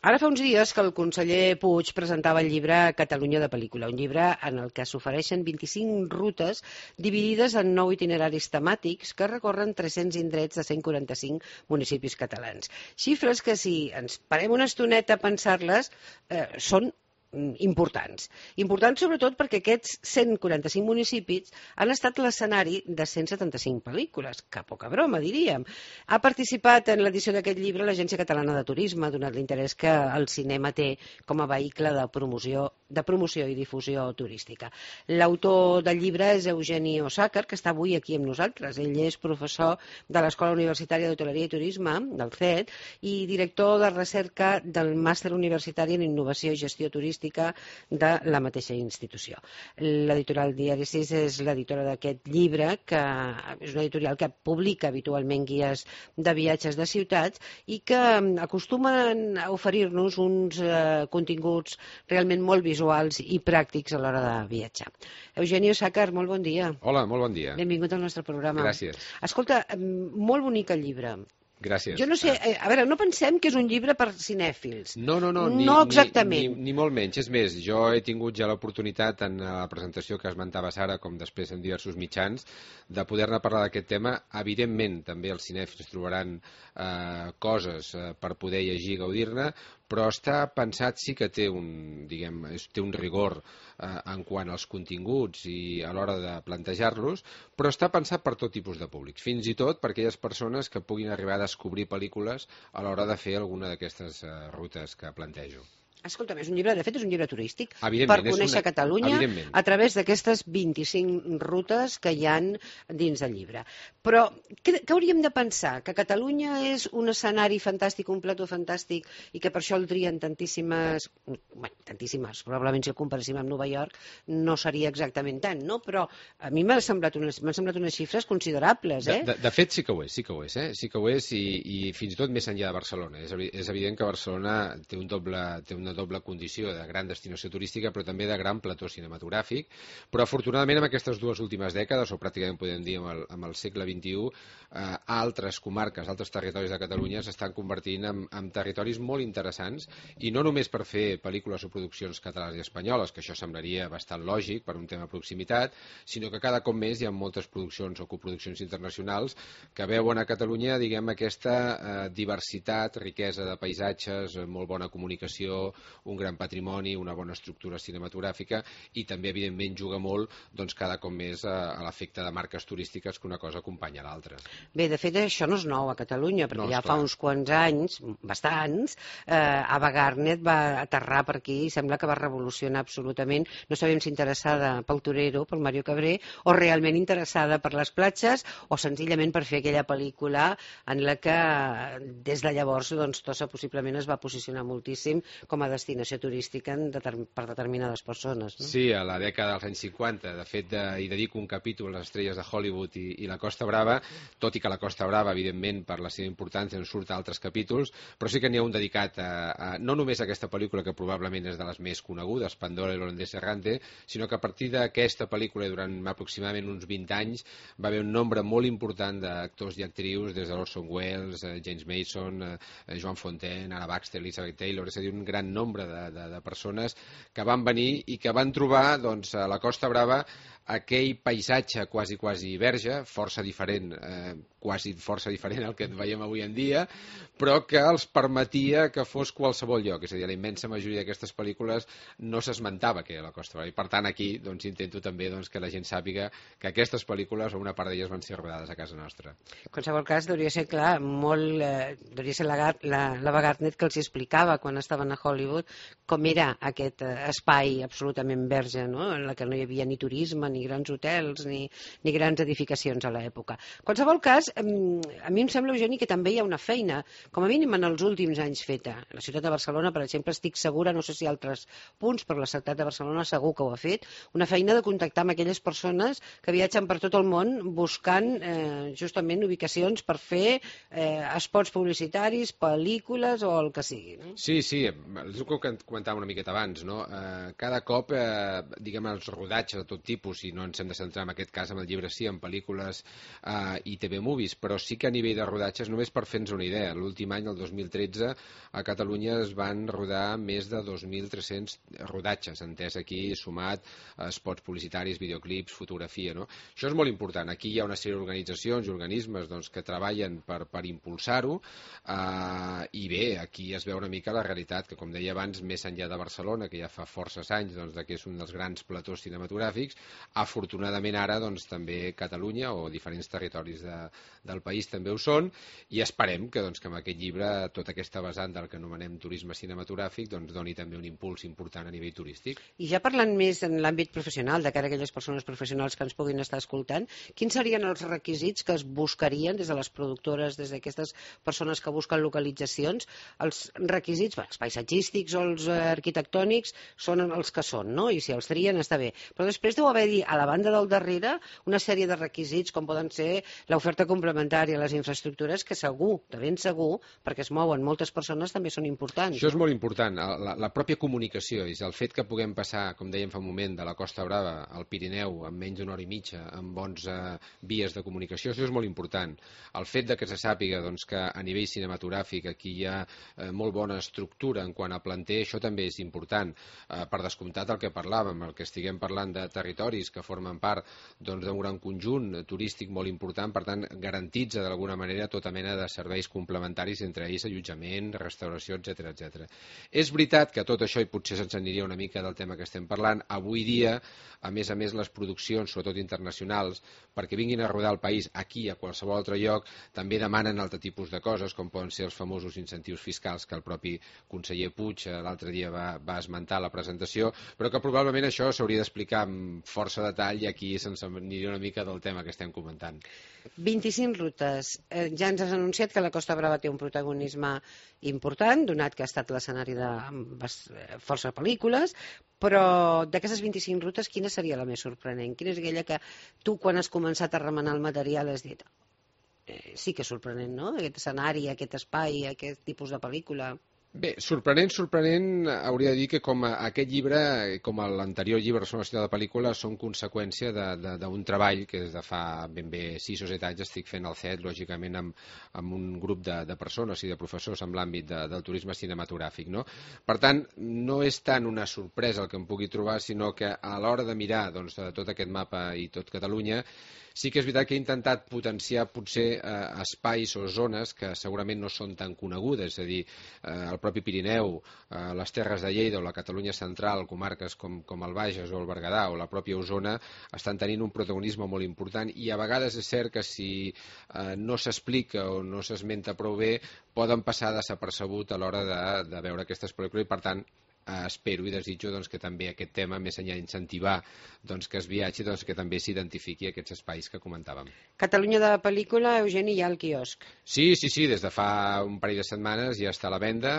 Ara fa uns dies que el conseller Puig presentava el llibre Catalunya de pel·lícula, un llibre en el que s'ofereixen 25 rutes dividides en 9 itineraris temàtics que recorren 300 indrets de 145 municipis catalans. Xifres que, si ens parem una estoneta a pensar-les, són importants. Importants sobretot perquè aquests 145 municipis han estat l'escenari de 175 pel·lícules, que poca broma, diríem. Ha participat en l'edició d'aquest llibre l'Agència Catalana de Turisme, donat l'interès que el cinema té com a vehicle de promoció i difusió turística. L'autor del llibre és Eugeni Osàcar, que està avui aquí amb nosaltres. Ell és professor de l'Escola Universitària d'Hoteleria i Turisme, del CET, i director de recerca del Màster Universitari en Innovació i Gestió Turística de la mateixa institució. L'editorial Diari 6 és l'editora d'aquest llibre, que és una editorial que publica habitualment guies de viatges de ciutats i que acostumen a oferir-nos uns continguts realment molt visuals i pràctics a l'hora de viatjar. Eugeni Osàcar, molt bon dia. Hola, molt bon dia. Benvingut al nostre programa. Gràcies. Escolta, molt bonic el llibre. Gràcies. Jo no sé, a veure, no pensem que és un llibre per cinèfils. No, exactament. Ni molt menys. És més, jo he tingut ja l'oportunitat en la presentació que esmentava Sara, com després en diversos mitjans, de poder-ne parlar d'aquest tema. Evidentment, també els cinèfils trobaran coses per poder llegir i gaudir-ne, però està pensat, sí que té un rigor en quant als continguts i a l'hora de plantejar-los, però està pensat per tot tipus de públics, fins i tot per aquelles persones que puguin arribar a descobrir pel·lícules a l'hora de fer alguna d'aquestes rutes que plantejo. Escolta'm, és un llibre, de fet, és un llibre turístic per conèixer Catalunya a través d'aquestes 25 rutes que hi han dins del llibre. Però què hauríem de pensar? Que Catalunya és un escenari fantàstic, un plató fantàstic, i que per això el trien tantíssimes, probablement si el comparéssim amb Nova York no seria exactament tant, no? Però a mi m'han semblat unes xifres considerables, eh? De fet, sí que ho és, sí que ho és, i fins i tot més enllà de Barcelona. És evident que Barcelona té una doble condició de gran destinació turística, però també de gran plató cinematogràfic. Però afortunadament en aquestes dues últimes dècades, o pràcticament podem dir amb el segle XXI, altres comarques, altres territoris de Catalunya s'estan convertint en territoris molt interessants, i no només per fer pel·lícules o produccions catalanes i espanyoles, que això semblaria bastant lògic per un tema de proximitat, sinó que cada cop més hi ha moltes produccions o coproduccions internacionals que veuen a Catalunya, diguem, aquesta diversitat, riquesa de paisatges, molt bona comunicació, un gran patrimoni, una bona estructura cinematogràfica, i també, evidentment, juga molt cada cop més a l'efecte de marques turístiques, que una cosa acompanya l'altra. Bé, de fet, això no és nou a Catalunya, perquè ja fa uns quants anys, bastants, Ava Gardner va aterrar per aquí i sembla que va revolucionar absolutament. No sabem si interessada pel torero, pel Mario Cabré, o realment interessada per les platges, o senzillament per fer aquella pel·lícula en la que des de llavors Tossa possiblement es va posicionar moltíssim com a destinació turística per determinades persones. No? Sí, a la dècada dels anys 50. De fet, hi dedico un capítol a les estrelles de Hollywood i la Costa Brava, tot i que la Costa Brava, evidentment, per la seva importància, en surt a altres capítols, però sí que n'hi ha un dedicat no només a aquesta pel·lícula, que probablement és de les més conegudes, Pandora i l'holandès errante, sinó que a partir d'aquesta pel·lícula, durant aproximadament uns 20 anys, va haver un nombre molt important d'actors i actrius, des de Orson Welles, James Mason, Joan Fontaine, Anna Baxter, Elizabeth Taylor, és a dir, un gran nombre de persones que van venir i que van trobar a la Costa Brava aquell paisatge quasi verge, força diferent al que veiem avui en dia, però que els permetia que fos qualsevol lloc. És a dir, la immensa majoria d'aquestes pel·lícules no s'esmentava que era la Costa Brava. I per tant aquí intento també que la gent sàpiga que aquestes pel·lícules, o una part d'elles, van ser rodades a casa nostra. En qualsevol cas, deuria ser clar, deuria ser l'Ava Gardner que els explicava quan estaven a Hollywood com era aquest espai absolutament verge, no? En la que no hi havia ni turisme, ni grans hotels, ni grans edificacions a l'època. En qualsevol cas, a mi em sembla, Eugeni, que també hi ha una feina, com a mínim en els últims anys feta. La ciutat de Barcelona, per exemple, estic segura, no sé si altres punts, però la ciutat de Barcelona segur que ho ha fet, una feina de contactar amb aquelles persones que viatgen per tot el món buscant justament ubicacions per fer spots publicitaris, pel·lícules o el que sigui. No? Sí, és el que comentàvem una miqueta abans, no? Cada cop, diguem, els rodatges de tot tipus, i no ens hem de centrar en aquest cas, en el llibre sí, en pel·lícules i TV Movies, movies, però sí que a nivell de rodatges, només per fer-nos una idea, l'últim any, el 2013, a Catalunya es van rodar més de 2.300 rodatges, entès aquí, sumat spots publicitaris, videoclips, fotografia, no? Això és molt important. Aquí hi ha una sèrie d'organitzacions i organismes doncs, que treballen per impulsar-ho, i bé, aquí es veu una mica la realitat, que com deia abans, més enllà de Barcelona, que ja fa forces anys doncs, que és un dels grans platós cinematogràfics, afortunadament ara doncs, també Catalunya o diferents territoris del país també ho són, i esperem que, doncs, que amb aquest llibre tota aquesta vessant del que anomenem turisme cinematogràfic doncs, doni també un impuls important a nivell turístic. I ja parlant més en l'àmbit professional, de cara a aquelles persones professionals que ens puguin estar escoltant, quins serien els requisits que es buscarien des de les productores, des d'aquestes persones que busquen localitzacions? Els requisits, els paisatgístics o els arquitectònics són els que són, no? I si els trien està bé. Però després deu haver-hi a la banda del darrere una sèrie de requisits com poden ser l'oferta complementària, les infraestructures, que segur, de ben segur, perquè es mouen moltes persones, també són importants. Això és molt important. La pròpia comunicació, és el fet que puguem passar, com dèiem fa un moment, de la Costa Brava al Pirineu en menys d'una hora i mitja, amb bons vies de comunicació, això és molt important. El fet de que se sàpiga doncs, que a nivell cinematogràfic aquí hi ha molt bona estructura en quant a planter, això també és important. Per descomptat el que parlàvem, el que estiguem parlant de territoris que formen part d'un gran conjunt turístic molt important, per tant garantitza d'alguna manera tota mena de serveis complementaris, entre ells allotjament, restauració, etc. És veritat que tot això, i potser se'ns aniria una mica del tema que estem parlant, avui dia, a més les produccions, sobretot internacionals, perquè vinguin a rodar el país aquí, a qualsevol altre lloc, també demanen altre tipus de coses, com poden ser els famosos incentius fiscals que el propi conseller Puig l'altre dia va esmentar a la presentació, però que probablement això s'hauria d'explicar amb força detall i aquí se'ns aniria una mica del tema que estem comentant. 25 rutes. Ja ens has anunciat que la Costa Brava té un protagonisme important, donat que ha estat l'escenari de força pel·lícules, però d'aquestes 25 rutes, quina seria la més sorprenent? Quina és aquella que tu, quan has començat a remenar el material, has dit sí que és sorprenent, no? Aquest escenari, aquest espai, aquest tipus de pel·lícula. Bé, sorprenent, hauria de dir que com aquest llibre, com l'anterior llibre Barcelona, la ciutat de pel·lícula, són conseqüència d'un treball que des de fa ben bé 6 o 7 anys estic fent al CET, lògicament amb un grup de persones i de professors en l'àmbit del turisme cinematogràfic, no? Per tant, no és tant una sorpresa el que em pugui trobar, sinó que a l'hora de mirar doncs, tot aquest mapa i tot Catalunya, sí que és veritat que he intentat potenciar potser espais o zones que segurament no són tan conegudes, és a dir, el propi Pirineu, les Terres de Lleida o la Catalunya central, comarques com el Bages o el Berguedà o la pròpia Osona, estan tenint un protagonisme molt important i a vegades és cert que si no s'explica o no s'esmenta prou bé, poden passar desapercebut a l'hora de veure aquestes pel·lícules i, per tant, espero i desitjo doncs, que també aquest tema, més enllà d'incentivar doncs, que es viatgi, doncs, que també s'identifiqui aquests espais que comentàvem. Catalunya de pel·lícula, Eugeni, hi ha al quiosc. Sí, des de fa un parell de setmanes ja està a la venda,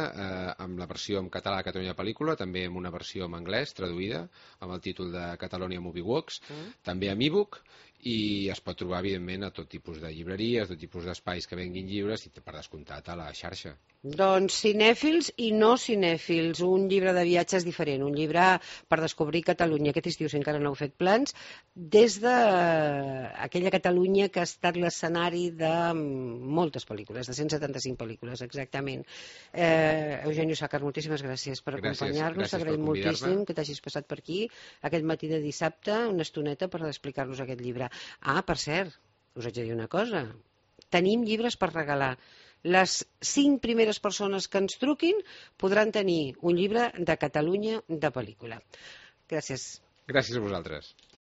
amb la versió en català de Catalunya de pel·lícula, també amb una versió en anglès traduïda, amb el títol de Catalonia Movie Walks, també amb e-book, i es pot trobar, evidentment, a tot tipus de llibreries, tot tipus d'espais que venguin llibres i, per descomptat, a la xarxa. Doncs cinèfils i no cinèfils, un llibre de viatges diferent, un llibre per descobrir Catalunya, aquest estiu, si encara no heu fet plans, des d'aquella Catalunya que ha estat l'escenari de moltes pel·lícules, de 175 pel·lícules, exactament. Eugenio Sàcar, moltíssimes gràcies per acompanyar-nos, t'agraïm moltíssim que t'hagis passat per aquí aquest matí de dissabte, una estoneta per explicar-nos aquest llibre. Per cert, us haig de dir una cosa, tenim llibres per regalar. Les 5 primeres persones que ens truquin podran tenir un llibre de Catalunya de pel·lícula. Gràcies. Gràcies a vosaltres.